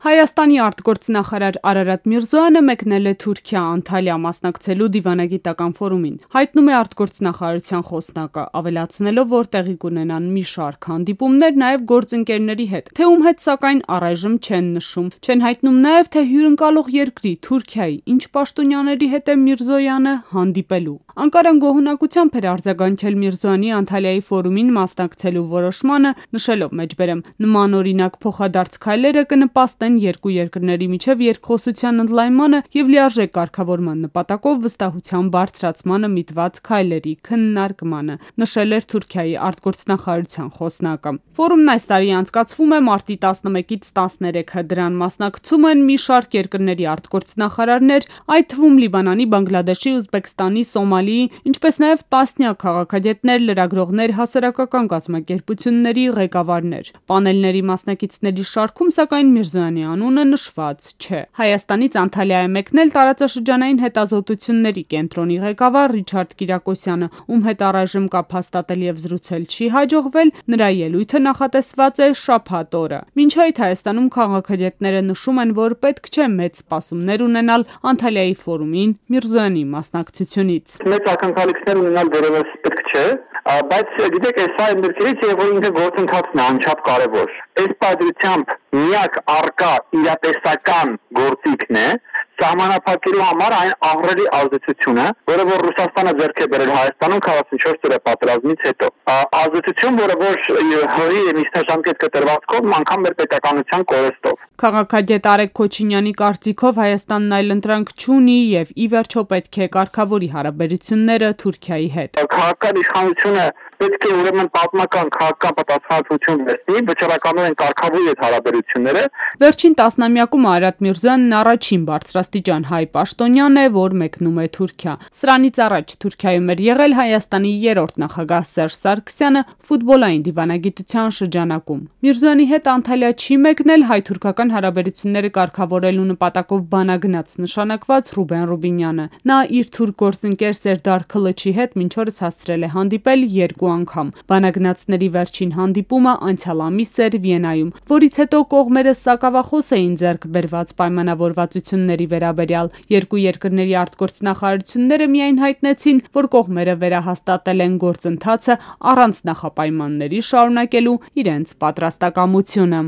Հայաստանի արտգործնախարար Արարատ Միրզոյանը մեկնել է Թուրքիա Անտալիա մասնակցելու դիվանագիտական ֆորումին, հայտնում է արտգործնախարարության խոսնակը, ավելացնելով, որ տեղի կունենան մի շարք հանդիպումներ նաև գործընկերների հետ, թե ում հետ սակայն առայժմ չեն նշում, չեն հայտնում նաև, թե հյուրընկալող երկրի Թուրքիայի ինչ պաշտոնյաների հետ է Միրզոյանը հանդիպելու։ Անկարան գոհունակությամբ էր արձագանքել Միրզոյանի Անտալիայի ֆորումին մասնակցելու որոշմանը, նշելով մեջբերեմ նմանօրինակ փոխադարձ քայլերը կնպաստեն երկու երկրների միջև երկխոսության ընդլայնմանը և լիարժեք կարգավորման նպատակով վստահության բարձրացմանը միտված քայլերի քննարկմանը, նշել էր Թուրքիայի արտգործնախարարության խոսնակը։ Ֆորումն այս տարի անցկացվում է մարտի 11-ից 13-ը, դրան մասնակցում են մի շարք երկրների արտգործնախարարներ, այդ թվում Լիբանանի, Բանգլադեշի, Ուզբեկստանի, Սոմալիի, ինչպես նաև տասնյակ քաղաքագետներ, լրագրողներ, հասարակական կազմակերպությունների ղեկավարներ։ Պանելների մասնակիցների շարքում սակայն Միրզոյանի անունը նշված չէ։ Հայաստանից Անտալիա է մեկնել տարածաշրջանային հետազոտությունների կենտրոնի ղեկավար Ռիչարդ Կիրակոսյանը, ում հետ առայժմ կապ հաստատել և զրուցել չի հաջողվել, նրա ելույթը նախատեսված է շաբաթ օրը։ Մինչ այդ Հայաստանում քաղաքագետները նշում են, որ պետք չէ մեծ սպասումներ ունենալ Անտալիայի ֆորումին Միրզոյանի մասնակցությունից։ Մեծ ակնկալիքներ ունենալ դեռևս պետք չէ, բայց գիտեք, սա այն դեպքերից է, որ ինքը գործընթացն է անչափ կարևոր։ Այս պատրությամբ միակ առկա իրատեսական գործիքն է սահմանափակելու համար այն ահռելի ազդեցությունը, որը որ Ռուսաստանը ձեռք է բերել Հայաստանում 44 տարի պատերազմից հետո։ Ազդեցություն, որը որ հողի միջնաժամկետ կտրվածքով անգամ մեր պետականության կորստով։ Քաղաքագետ Արեգ Քոչինյանի կարծիքով Հայաստանն այլընտրանք չունի և ի վերջո պետք է կարգավորի հարաբերությունները Թուրքիայի հետ։ Քաղաքական իշխանությունը պետք է ուրեմն պատմական քաղաքական պատասխանատվություն վերցնի, վճռականորեն կարգավորի այդ հարաբերությունները։ Վերջին տասնամյակում Արարատ Միրզոյանն առաջին բարձրաստիճան հայ պաշտոնյան է, որ մեկնում է Թուրքիա։ Սրանից առաջ Թուրքիայում էր եղել Հայաստանի երրորդ նախագահ Սերժ Սարգսյանը ֆուտբոլային դիվանագիտության շրջանակում։ Միրզոյանի հետ Անտալիա չի մեկնել հայ-թուրքական հարաբերությունները կարգավորելու նպատակով բանագնաց նշանակված Ռուբեն Ռուբինյանը։ Նա իր թուրք գործընկեր Սերդար Քլիչի հետ մինչ օրս հասցրել է հանդիպել երկու անգամ։ Բանագնացների վերջին հանդիպումը անցյալ ամիս էր Վիեննայում, որից հետո կողմերը սակավախոս էին ձեռք բերված պայմանավորվածությունների վերաբերյալ։ Երկու երկրների արտգործնախարարությունները միայն հայտնեցին, որ կողմերը վերահաստատել են գործընթացը առանց նախապայմանների շարունակելու իրենց պատրաստակամությունը։